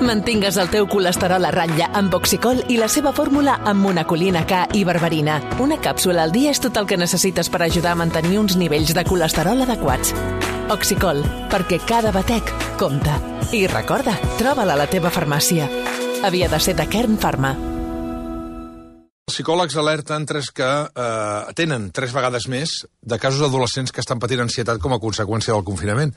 Mantingues el teu colesterol a ratlla amb Oxicol i la seva fórmula amb monacolina K i berberina. Una càpsula al dia és tot el que necessites per ajudar a mantenir uns nivells de colesterol adequats. Oxicol, perquè cada batec compta. I recorda, troba-la a la teva farmàcia. Havia de ser de Kern Pharma. Els psicòlegs alerten que tenen 3 vegades més de casos d'adolescents que estan patint ansietat com a conseqüència del confinament.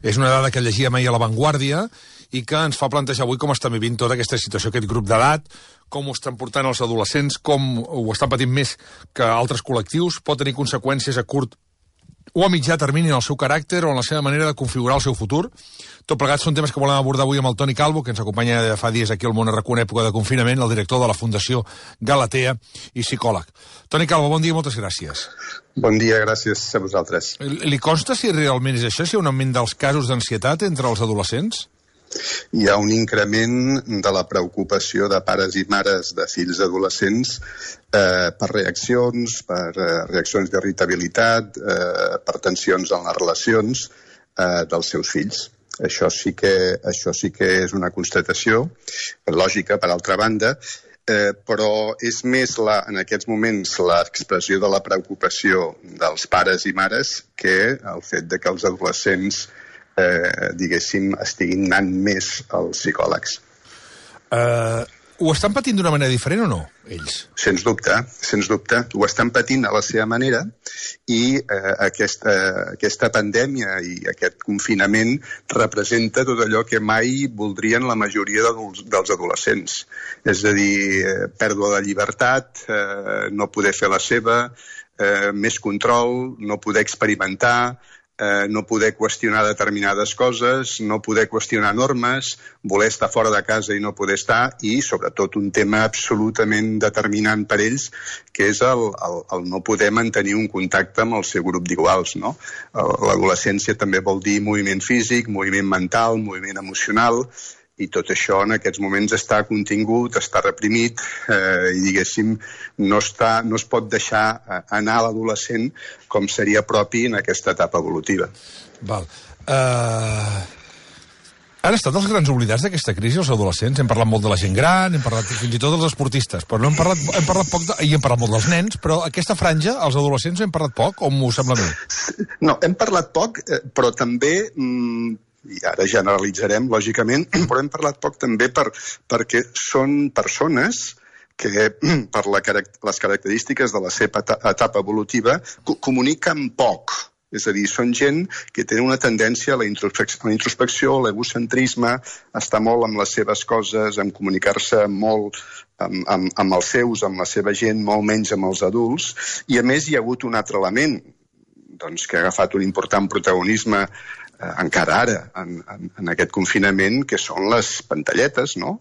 És una dada que llegíem ahir a La Vanguardia i que ens fa plantejar avui com estan vivint tota aquesta situació, aquest grup d'edat, com ho estan portant els adolescents, com ho estan patint més que altres col·lectius, pot tenir conseqüències a curt o a mitjà termini en el seu caràcter o en la seva manera de configurar el seu futur. Tot plegat són temes que volem abordar avui amb el Toni Calvo, que ens acompanya de fa dies aquí al Món RQ en època de confinament, el director de la Fundació Galatea i psicòleg. Toni Calvo, bon dia i moltes gràcies. Bon dia, gràcies a vosaltres. Li consta si realment és això, si hi ha un augment dels casos d'ansietat entre els adolescents? Hi ha un increment de la preocupació de pares i mares de fills adolescents per reaccions d'irritabilitat, per tensions en les relacions dels seus fills. Això sí que és una constatació lògica, per altra banda, però és més en aquests moments l'expressió de la preocupació dels pares i mares que el fet de que els adolescents diguéssim, estiguin anant més als psicòlegs. Ho estan patint d'una manera diferent o no, ells? Sens dubte. Ho estan patint a la seva manera i aquesta pandèmia i aquest confinament representa tot allò que mai voldrien la majoria dels adolescents. És a dir, pèrdua de llibertat, no poder fer la seva, més control, no poder experimentar, no poder qüestionar determinades coses, no poder qüestionar normes, voler estar fora de casa i no poder estar, i sobretot un tema absolutament determinant per ells, que és el no poder mantenir un contacte amb el seu grup d'iguals, no? L'adolescència també vol dir moviment físic, moviment mental, moviment emocional, i tot això en aquests moments està contingut, està reprimit i, diguéssim, no es pot deixar anar a l'adolescent com seria propi en aquesta etapa evolutiva. Val. Han estat els grans oblidats d'aquesta crisi, els adolescents? Hem parlat molt de la gent gran, hem parlat fins i tot dels esportistes, però no hem parlat poc, i hem parlat molt dels nens, però aquesta franja, els adolescents, hem parlat poc, o m'ho sembla a mi? No, hem parlat poc, però també... i ara generalitzarem, lògicament, però hem parlat poc també perquè són persones que, per les característiques de la seva etapa evolutiva, comuniquen poc. És a dir, són gent que tenen una tendència a la introspecció, a l'egocentrisme, a estar molt amb les seves coses, a comunicar-se molt amb els seus, amb la seva gent, molt menys amb els adults. I, a més, hi ha hagut un altre element que ha agafat un important protagonisme encara ara, en aquest confinament, que són les pantalletes, no?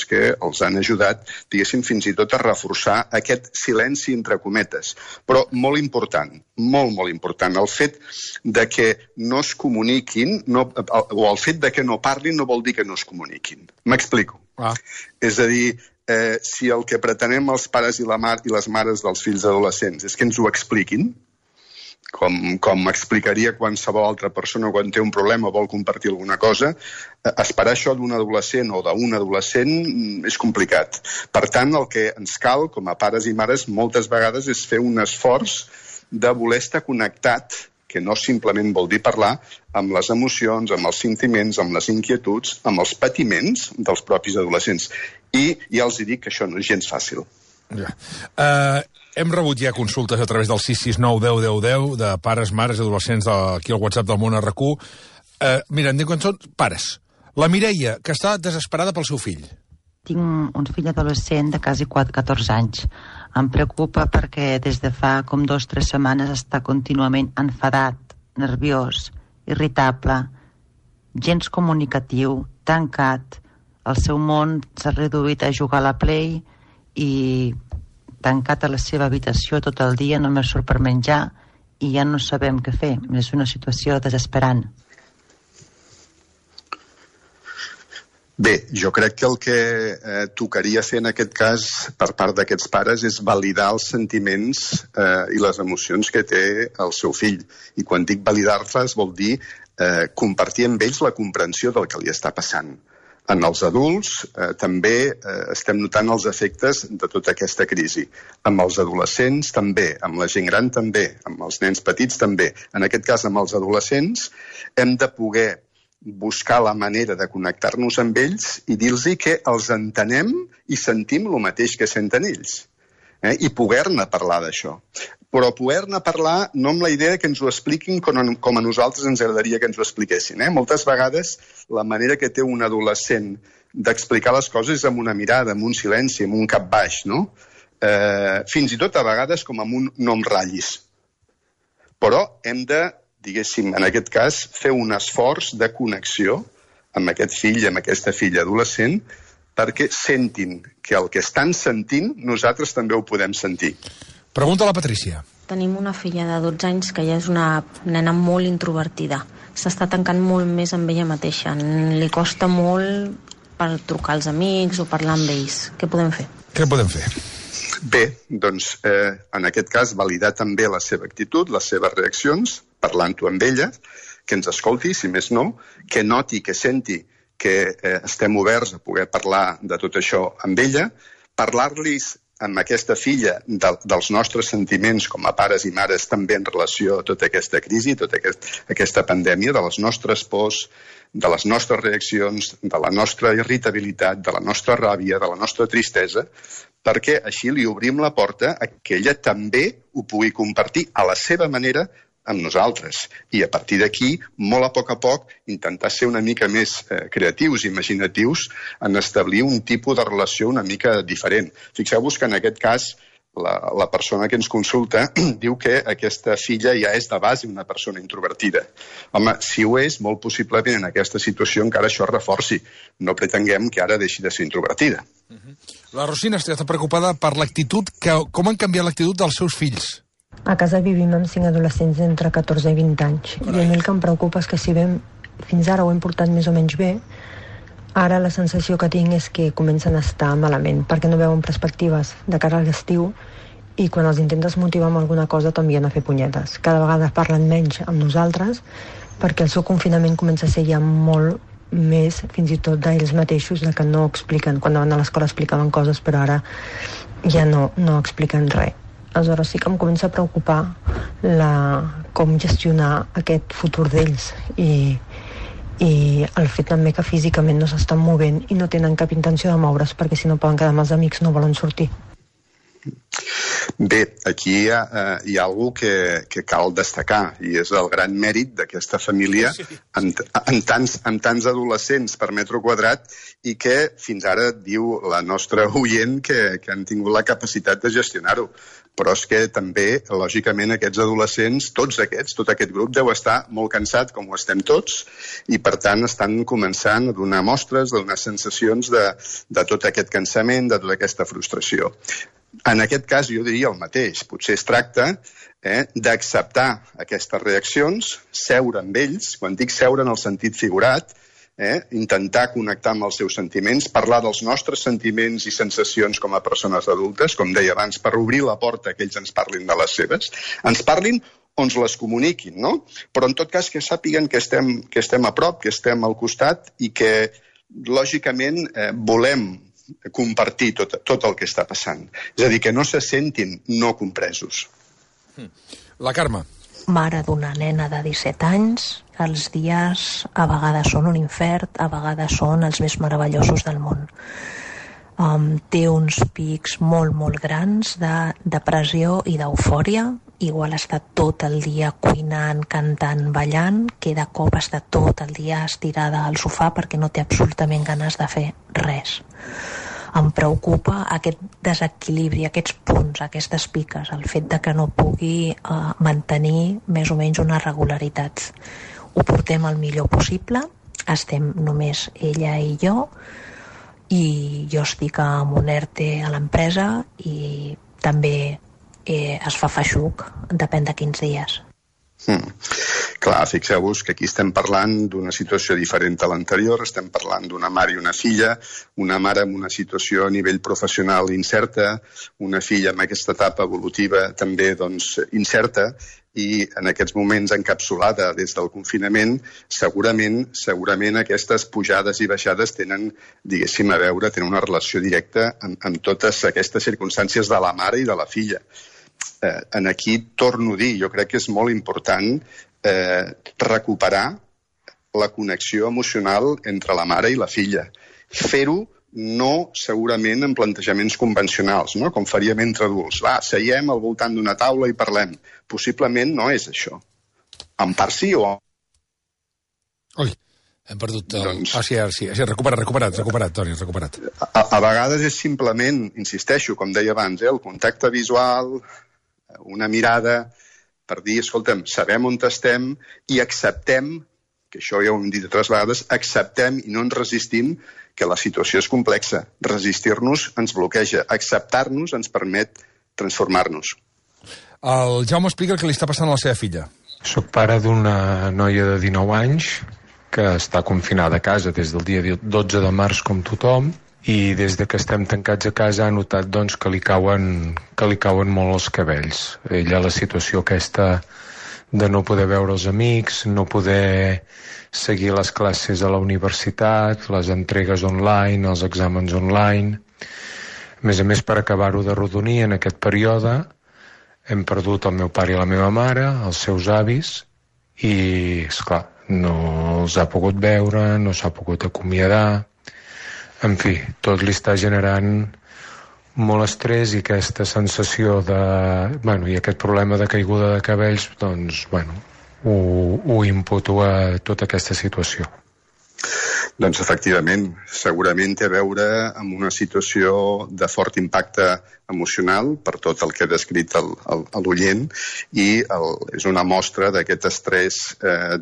Que els han ajudat, diguéssim, fins i tot a reforçar aquest silenci entre cometes. Però molt important, molt important, el fet de que no es comuniquin, o el fet de que no parlin, no vol dir que no es comuniquin. M'explico. És a dir, si el que pretenem els pares i les mares dels fills adolescents és que ens ho expliquin, com explicaria qualsevol altra persona quan té un problema o vol compartir alguna cosa, esperar això d'un adolescent o d'un adolescent és complicat. Per tant, el que ens cal, com a pares i mares, moltes vegades és fer un esforç de voler estar connectat, que no simplement vol dir parlar, amb les emocions, amb els sentiments, amb les inquietuds, amb els patiments dels propis adolescents. I ja els dic que això no és gens fàcil. Hem rebut ja consultes a través del 669 10 10 10 de pares, mares i adolescents aquí al WhatsApp del Món RQ. Mira, en diuen que són pares. La Mireia, que està desesperada pel seu fill. Tinc un fill adolescent de quasi 14 anys. Em preocupa perquè des de fa com 2 o 3 setmanes està contínuament enfadat, nerviós, irritable, gens comunicatiu, tancat. El seu món s'ha reduït a jugar a la Play i tancat a la seva habitació tot el dia, només surt per menjar i ja no sabem què fer. És una situació desesperant. Bé, jo crec que el que tocaria fer en aquest cas per part d'aquests pares és validar els sentiments i les emocions que té el seu fill. I quan dic validar-les vol dir compartir amb ells la comprensió del que li està passant. En els adults també estem notant els efectes de tota aquesta crisi. Amb els adolescents també, amb la gent gran també, amb els nens petits també. En aquest cas, amb els adolescents, hem de poder buscar la manera de connectar-nos amb ells i dir-los que els entenem i sentim el mateix que senten ells. I poder-ne parlar d'això. Però poder-ne parlar no amb la idea que ens ho expliquin com a nosaltres ens agradaria que ens ho expliquessin. Moltes vegades la manera que té un adolescent d'explicar les coses és amb una mirada, amb un silenci, amb un cap baix, no? Fins i tot a vegades com amb un no em ratllis. Però hem de, diguéssim, en aquest cas, fer un esforç de connexió amb aquest fill, amb aquesta filla adolescent, perquè sentin que el que estan sentint nosaltres també ho podem sentir. Pregunta a la Patrícia. Tenim una filla de 12 anys que ja és una nena molt introvertida. S'està tancant molt més amb ella mateixa. Li costa molt per trucar als amics o parlar amb ells. Què podem fer? Què podem fer? Bé, doncs, en aquest cas, validar també la seva actitud, les seves reaccions, parlant-ho amb ella, que ens escolti, si més no, que noti, que senti que estem oberts a poder parlar de tot això amb ella, parlar-los amb aquesta filla dels nostres sentiments com a pares i mares també en relació a tota aquesta crisi, tota aquesta pandèmia, de les nostres pors, de les nostres reaccions, de la nostra irritabilitat, de la nostra ràbia, de la nostra tristesa, perquè així li obrim la porta a que ella també ho pugui compartir a la seva manera amb nosaltres. I a partir d'aquí, molt a poc, intentar ser una mica més creatius i imaginatius en establir un tipus de relació una mica diferent. Fixeu-vos que en aquest cas la persona que ens consulta diu que aquesta filla ja és de base una persona introvertida. Home, si ho és, molt possiblement en aquesta situació encara això es reforci. No pretenguem que ara deixi de ser introvertida. La Rosina està preocupada per l'actitud, com han canviat l'actitud dels seus fills. A casa vivim amb 5 adolescents entre 14 i 20 anys. I a mi el que em preocupa és que si bé fins ara ho hem portat més o menys bé, ara la sensació que tinc és que comencen a estar malament, perquè no veuen perspectives de cara a l'estiu i quan els intentes motivar amb alguna cosa t'envien a fer punyetes. Cada vegada parlen menys amb nosaltres perquè el seu confinament comença a ser ja molt més, fins i tot d'ells mateixos, de que no expliquen. Quan anaven a l'escola explicaven coses, però ara ja no expliquen res. Aleshores sí que em comença a preocupar com gestionar aquest futur d'ells i el fet també que físicament no s'estan movent i no tenen cap intenció de moure's perquè si no poden quedar amb els amics no volen sortir. Bé, aquí hi ha alguna cosa que cal destacar i és el gran mèrit d'aquesta família amb tants adolescents per metre quadrat i que fins ara diu la nostra oient que han tingut la capacitat de gestionar-ho. Però és que també, lògicament, aquests adolescents, tot aquest grup deu estar molt cansat, com ho estem tots, i per tant estan començant a donar mostres, a donar sensacions de tot aquest cansament, de tota aquesta frustració. En aquest cas jo diria el mateix, potser es tracta d'acceptar aquestes reaccions, seure amb ells, quan dic seure en el sentit figurat, intentar connectar amb els seus sentiments, parlar dels nostres sentiments i sensacions com a persones adultes, com deia abans, per obrir la porta que ells ens parlin de les seves, ens parlin o ens les comuniquin, no? Però en tot cas que sàpiguen que estem a prop, que estem al costat i que, lògicament, volem compartir tot el que està passant. És a dir, que no se sentin no compresos. La Carme. Mare d'una nena de 17 anys, els dies a vegades són un infern, a vegades són els més meravellosos del món. Té uns pics molt, molt grans de depressió i d'eufòria. Igual està tot el dia cuinant, cantant, ballant, que de cop està tot el dia estirada al sofà perquè no té absolutament ganes de fer res. Em preocupa aquest desequilibri, aquests punts, aquestes piques, el fet de que no pugui mantenir més o menys una regularitat. Ho portem el millor possible, estem només ella i jo jo estic amb un ERTE a l'empresa i també es fa feixuc, depèn de quins dies. Clar, fixeu-vos que aquí estem parlant d'una situació diferent a l'anterior, estem parlant d'una mare i una filla, una mare amb una situació a nivell professional incerta, una filla amb aquesta etapa evolutiva també incerta, i en aquests moments encapsulada des del confinament, segurament aquestes pujades i baixades tenen, diguéssim, a veure, tenen una relació directa amb totes aquestes circumstàncies de la mare i de la filla. En aquí torno a dir, jo crec que és molt important recuperar la connexió emocional entre la mare i la filla. Fer-ho no segurament en plantejaments convencionals, no? Com faríem entre adults. Va, seiem al voltant d'una taula i parlem. Possiblement no és això. En part sí o... Ui, hem perdut el... Doncs... Sí, recuperat, Toni, recuperat. A vegades és simplement, insisteixo, com deia abans, el contacte visual, una mirada, per dir, escolta'm, sabem on estem i acceptem, que això ja ho hem dit altres vegades, acceptem i no ens resistim que la situació és complexa. Resistir-nos ens bloqueja. Acceptar-nos ens permet transformar-nos. El Jaume explica el que li està passant a la seva filla. Soc pare d'una noia de 19 anys que està confinada a casa des del dia 12 de març com tothom i des de que estem tancats a casa ha notat doncs, que li cauen molt els cabells. Ella la situació aquesta de no poder veure els amics, no poder seguir les classes a la universitat, les entregues online, els exàmens online. A més, per acabar-ho de rodonir en aquest període, hem perdut el meu pare i la meva mare, els seus avis, i, esclar, no els ha pogut veure, no s'ha pogut acomiadar. En fi, tot li està generant molt estrès i aquesta sensació de... i aquest problema de caiguda de cabells, doncs, ho imputo a tota aquesta situació. Doncs, efectivament, segurament té a veure amb una situació de fort impacte emocional per tot el que ha descrit l'oient i és una mostra d'aquest estrès,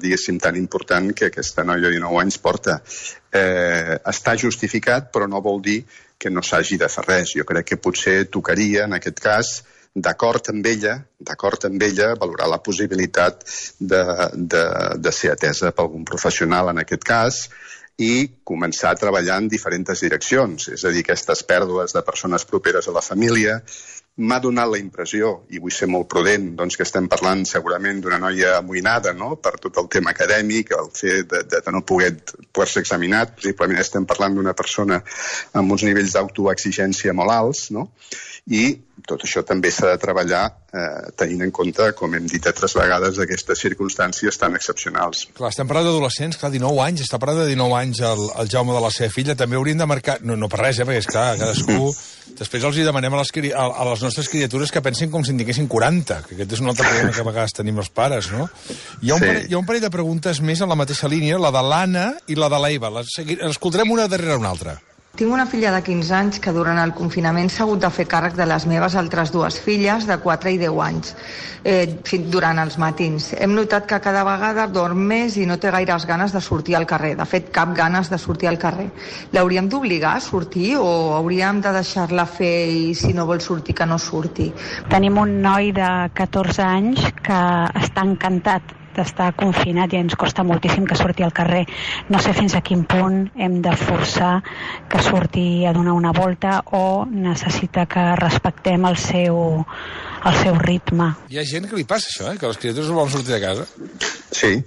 diguéssim, tan important que aquesta noia de 19 anys porta. Està justificat, però no vol dir que no s'hagi de fer res. Jo crec que potser tocaria, en aquest cas, d'acord amb ella, valorar la possibilitat de ser atesa per algun professional en aquest cas i començar a treballar en diferents direccions. És a dir, aquestes pèrdues de persones properes a la família. M'ha donat la impressió, i vull ser molt prudent, doncs que estem parlant segurament d'una noia amoïnada, no?, per tot el tema acadèmic, el fet de no poder-se examinar. Possiblement estem parlant d'una persona amb uns nivells d'autoexigència molt alts, no?, i tot això també s'ha de treballar tenint en compte, com hem dit altres vegades, aquestes circumstàncies tan excepcionals. Clar, estem parlant d'adolescents, clar, 19 anys, està parlant de 19 anys el Jaume de la seva filla, també hauríem de marcar, no per res, perquè és clar, cadascú, després els hi demanem a les nostres criatures que pensin com si en diguessin 40, que aquest és un altre problema que a vegades tenim els pares, no? Hi ha un parell de preguntes més en la mateixa línia, la de l'Anna i la de l'Eva, l'escoltarem una darrere una altra. Tinc una filla de 15 anys que durant el confinament s'ha hagut de fer càrrec de les meves altres dues filles de 4 i 10 anys durant els matins. Hem notat que cada vegada dorm més i no té gaires ganes de sortir al carrer. De fet, cap ganes de sortir al carrer. L'hauríem d'obligar a sortir o hauríem de deixar-la fer i si no vol sortir que no surti? Tenim un noi de 14 anys que està encantat d'estar confinat i ens costa moltíssim que surti al carrer. No sé fins a quin punt hem de forçar que surti a donar una volta o necessita que respectem el seu ritme. Hi ha gent que li passa això, que les criatures no volen sortir de casa. Sí.